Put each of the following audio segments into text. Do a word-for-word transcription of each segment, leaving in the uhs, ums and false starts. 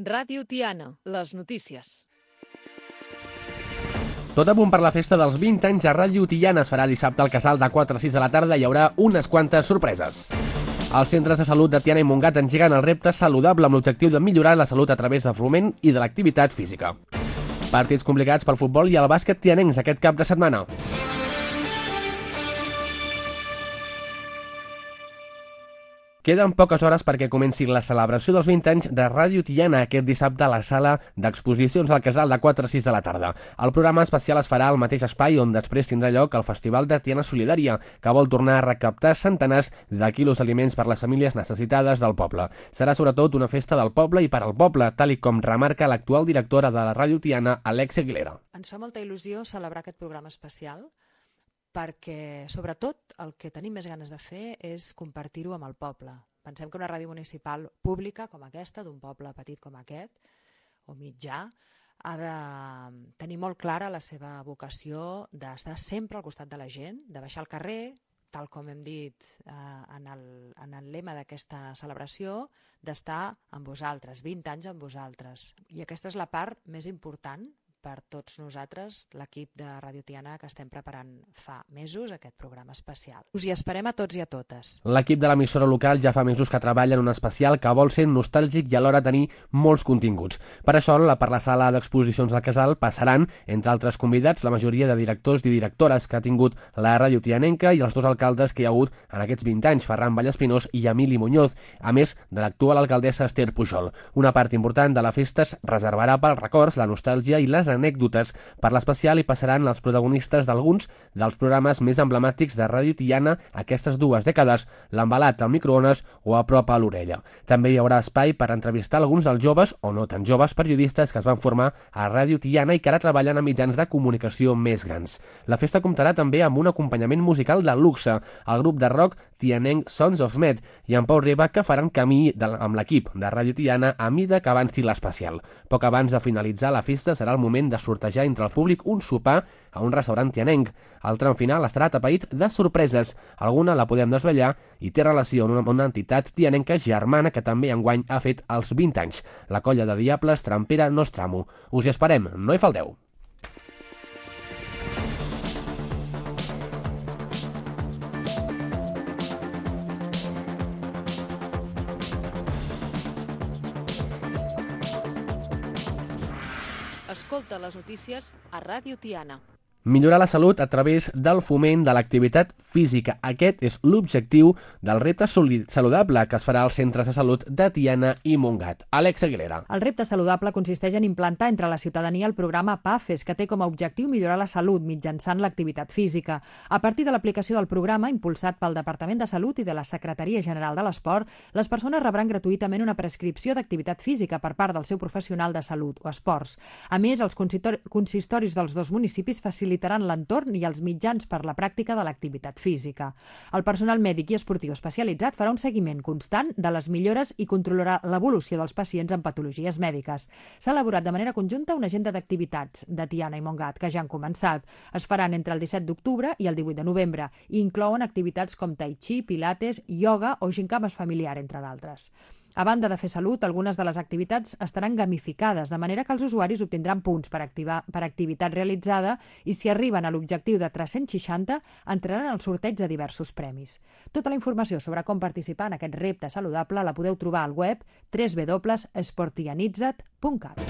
Ràdio Tiana, les notícies. Tot a punt per la festa dels vint anys a Ràdio Tiana. Es farà dissabte al Casal de quatre a sis de la tarda i hi haurà unes quantes sorpreses. Els centres de salut de Tiana i Montgat engeguen el repte saludable amb l'objectiu de millorar la salut a través del foment i de l'activitat física. Partits complicats pel futbol i el bàsquet tianencs aquest cap de setmana. Queden poques hores perquè comenci la celebració dels vint anys de Ràdio Tiana aquest dissabte a la sala d'exposicions del Casal de quatre a sis de la tarda. El programa especial es farà al mateix espai on després tindrà lloc el Festival de Tiana Solidària, que vol tornar a recaptar centenars de quilos d'aliments per les famílies necessitades del poble. Serà sobretot una festa del poble i per al poble, tal i com remarca l'actual directora de la Ràdio Tiana, Alexia Aguilera. Ens fa molta il·lusió celebrar aquest programa especial perquè, sobretot, el que tenim més ganes de fer és compartir-ho amb el poble. Pensem que una ràdio municipal pública com aquesta, d'un poble petit com aquest, o mitjà, ha de tenir molt clara la seva vocació d'estar sempre al costat de la gent, de baixar al carrer, tal com hem dit eh, en, el, en el lema d'aquesta celebració, d'estar amb vosaltres, vint anys amb vosaltres. I aquesta és la part més important per tots nosaltres, l'equip de Ràdio Tiana, que estem preparant fa mesos aquest programa especial. Us hi esperem a tots i a totes. L'equip de l'emissora local ja fa mesos que treballa en un especial que vol ser nostàlgic i alhora tenir molts continguts. Per això, per la sala d'exposicions del Casal passaran, entre altres convidats, la majoria de directors i directores que ha tingut la Ràdio Tianenca i els dos alcaldes que hi ha hagut en aquests vint anys, Ferran Vallespinós i Emili Muñoz, a més de l'actual alcaldessa Esther Pujol. Una part important de la festa es reservarà pels records, la nostàlgia i les anècdotes. Per l'especial hi passaran els protagonistes d'alguns dels programes més emblemàtics de Ràdio Tiana aquestes dues dècades, l'embalat al microones o a prop a l'orella. També hi haurà espai per entrevistar alguns dels joves o no tan joves periodistes que es van formar a Ràdio Tiana i que ara treballen a mitjans de comunicació més grans. La festa comptarà també amb un acompanyament musical de luxe, el grup de rock tianenc Sons of Med i en Pau Riba, que faran camí de, amb l'equip de Ràdio Tiana a mida que avanci l'especial. Poc abans de finalitzar la festa serà el moment de sortejar entre el públic un sopar a un restaurant tianenc. El tram final estarà atapeït de sorpreses. Alguna la podem desvetllar i té relació amb una, una entitat tianenca germana que també enguany ha fet els vint anys, la colla de diables Trampera Nostramo. Us hi esperem, no hi falteu. Escolta les notícies a Ràdio Tiana. Millorar la salut a través del foment de l'activitat física. Aquest és l'objectiu del repte saludable que es farà als centres de salut de Tiana i Montgat. Àlex Aguilera. El repte saludable consisteix en implantar entre la ciutadania el programa PAFES, que té com a objectiu millorar la salut mitjançant l'activitat física. A partir de l'aplicació del programa, impulsat pel Departament de Salut i de la Secretaria General de l'Esport, les persones rebran gratuïtament una prescripció d'activitat física per part del seu professional de salut o esports. A més, els consistoris dels dos municipis facilitaran l'entorn i els mitjans per la pràctica de l'activitat física. El personal mèdic i esportiu especialitzat farà un seguiment constant de les millores i controlarà l'evolució dels pacients amb patologies mèdiques. S'ha elaborat de manera conjunta una agenda d'activitats de Tiana i Montgat, que ja han començat. Es faran entre el disset d'octubre i el divuit de novembre i inclouen activitats com tai chi, pilates, ioga o gincames familiar, entre d'altres. A banda de fer salut, algunes de les activitats estaran gamificades, de manera que els usuaris obtindran punts per, activar, per activitat realitzada i si arriben a l'objectiu de tres-cents seixanta, entraran al sorteig de diversos premis. Tota la informació sobre com participar en aquest repte saludable la podeu trobar al web w w w punt sportianitzat punt cat.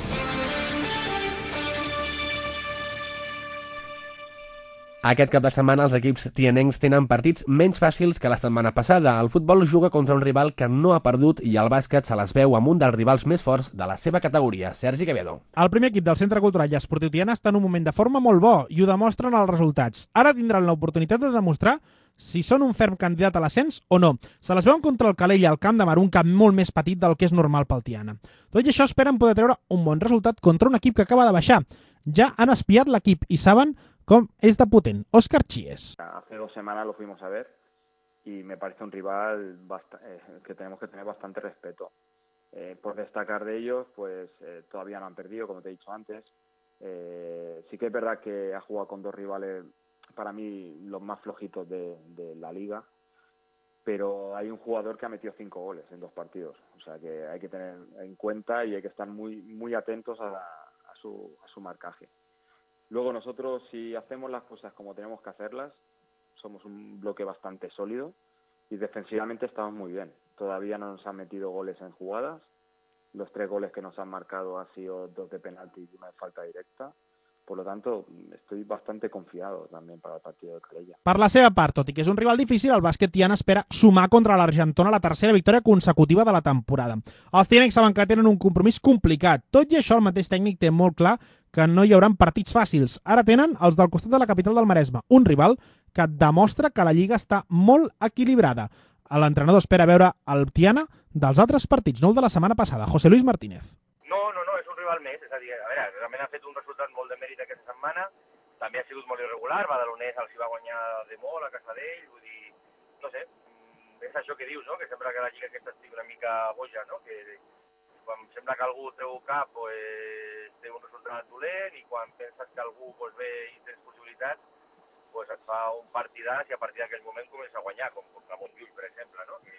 Aquest cap de setmana els equips tianencs tenen partits menys fàcils que la setmana passada. El futbol juga contra un rival que no ha perdut i el bàsquet se les veu amb un dels rivals més forts de la seva categoria, Sergi Quevedo. El primer equip del Centre Cultural i Esportiu Tiana està en un moment de forma molt bo i ho demostren els resultats. Ara tindran l'oportunitat de demostrar si són un ferm candidat a l'ascens o no. Se les veuen contra el Calella al Camp de Mar, un camp molt més petit del que és normal pel Tiana. Tot i això esperen poder treure un bon resultat contra un equip que acaba de baixar. Ja han espiat l'equip i saben com es de potent. Óscar Chies. Hace dos semanas lo fuimos a ver y me parece un rival eh, que tenemos que tener bastante respeto. Eh, por destacar de ellos, pues eh, todavía no han perdido, como te he dicho antes. Eh, sí que es verdad que ha jugado con dos rivales, para mí, los más flojitos de, de la liga, pero hay un jugador que ha metido cinco goles en dos partidos. O O sea que hay que tener en cuenta y hay que estar muy, muy atentos a, a, su, a su marcaje. Luego nosotros, si hacemos las cosas como tenemos que hacerlas, somos un bloque bastante sólido y defensivamente estamos muy bien. Todavía no nos han metido goles en jugadas. Los tres goles que nos han marcado han sido dos de penalti y una de falta directa. Por lo tanto, estoy bastante confiado també per al partit de Calella. Per la seva part, tot i que és un rival difícil, el bàsquet Tiana espera sumar contra l'Argentona la tercera victòria consecutiva de la temporada. Els tianencs saben que tenen un compromís complicat. Tot i això, el mateix tècnic té molt clar que no hi haurà partits fàcils. Ara tenen els del costat de la capital del Maresme, un rival que demostra que la Lliga està molt equilibrada. L'entrenador espera veure el Tiana dels altres partits, no el de la setmana passada. José Luis Martínez. No, no, no, és un rival més. És a dir, a veure, realment ha fet un resultat molt de mèrit aquesta setmana. També ha sigut molt irregular. Badalonès els hi va guanyar de molt a casa d'ell. Vull dir, no sé, és això que dius, no? Que sembla que la Lliga aquesta estigui una mica boja, no? Que quan sembla que algú treu cap, pues, té un resultat dolent, i quan penses que algú pues, ve i tens possibilitats, pues, et fa un partidàs i a partir d'aquell moment comença a guanyar, com contra Montjuïc, per exemple, no? Que,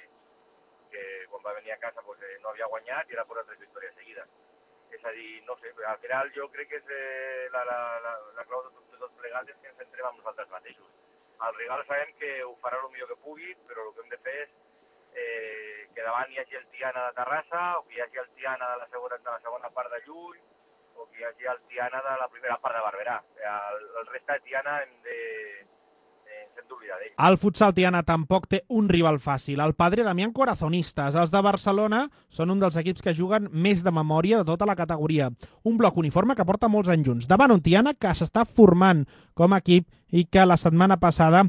que quan va venir a casa pues, eh, no havia guanyat i era per tres victòries seguides. És a dir, no sé, al final jo crec que és, eh, la, la, la, la clau de tot, de tot plegat és que ens centrem en nosaltres mateixos. El rival sabem que ho farà el millor que pugui, però el que hem de fer és eh, que davant hi hagi el Tiana de Terrassa, o que hi hagi el Tiana de la segona, de la segona part de Llull, o que hi hagi el Tiana de la primera part de Barberà. El, el resta de Tiana hem de... hem d'oblidar d'ell. El futsal Tiana tampoc té un rival fàcil. El Padre Damián Corazonistas. Els de Barcelona són un dels equips que juguen més de memòria de tota la categoria. Un bloc uniforme que porta molts anys junts. Davant un Tiana que s'està formant com a equip i que la setmana passada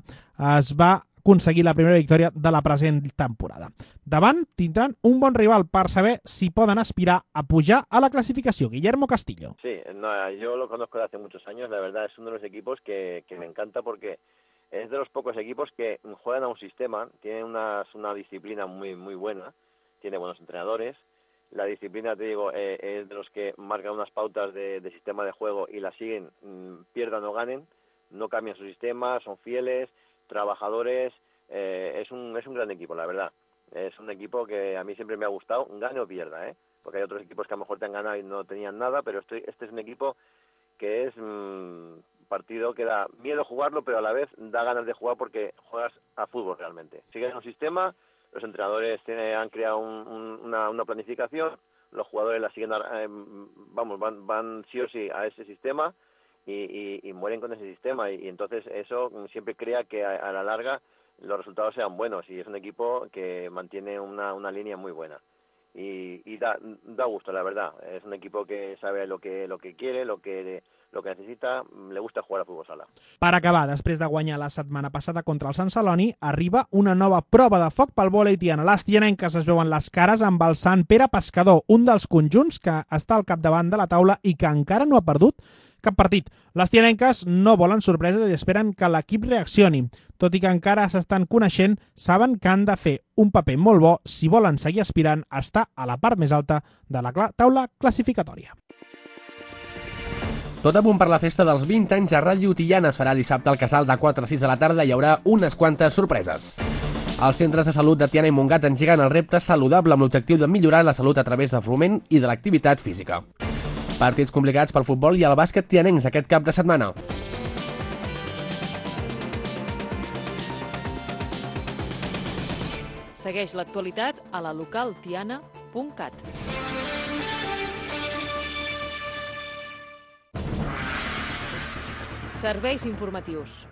es va aconseguir la primera victòria de la present temporada. Davant tindran un bon rival per saber si poden aspirar a pujar a la clasificació. Guillermo Castillo. Sí, no, yo lo conozco de hace muchos años. La verdad es uno de los equipos que, que me encanta porque es de los pocos equipos que juegan a un sistema, tienen una, una disciplina muy muy buena, tiene buenos entrenadores. La disciplina, te digo, eh, es de los que marcan unas pautas de, de sistema de juego y la siguen, mmm, pierdan o ganen, no cambian su sistema, son fieles, trabajadores, eh, es un es un gran equipo, la verdad. Es un equipo que a mí siempre me ha gustado, gane o pierda, ¿eh? Porque hay otros equipos que a lo mejor te han ganado y no tenían nada, pero este, este es un equipo que es mmm, partido que da miedo jugarlo, pero a la vez da ganas de jugar porque juegas a fútbol realmente. Siguen un sistema, los entrenadores tienen, han creado un, un, una, una planificación, los jugadores la siguen, eh, vamos, van, van sí o sí a ese sistema y, y, y mueren con ese sistema y, y entonces eso siempre crea que a, a la larga los resultados sean buenos y es un equipo que mantiene una, una línea muy buena. Y, y da, da gusto, la verdad. Es un equipo que sabe lo que, lo que quiere, lo que, lo que necesita, le gusta jugar a futbol sala. Per acabar, després de guanyar la setmana passada contra el Sant Celoni, arriba una nova prova de foc pel vòlei tiana. Les tianenques es veuen les cares amb el Sant Pere Pescador, un dels conjunts que està al capdavant de la taula i que encara no ha perdut cap partit. Les tianenques no volen sorpreses i esperen que l'equip reaccioni. Tot i que encara s'estan coneixent, saben que han de fer un paper molt bo si volen seguir aspirant a estar a la part més alta de la taula classificatòria. Tot a punt per la festa dels vint anys a Ràdio Tiana. Es farà dissabte al Casal de quatre a sis de la tarda. Hi haurà unes quantes sorpreses. Els centres de salut de Tiana i Montgat engeguen el repte saludable amb l'objectiu de millorar la salut a través del foment i de l'activitat física. Partits complicats pel futbol i el bàsquet tianencs aquest cap de setmana. Segueix l'actualitat a la local tiana punt cat. Serveis informatius.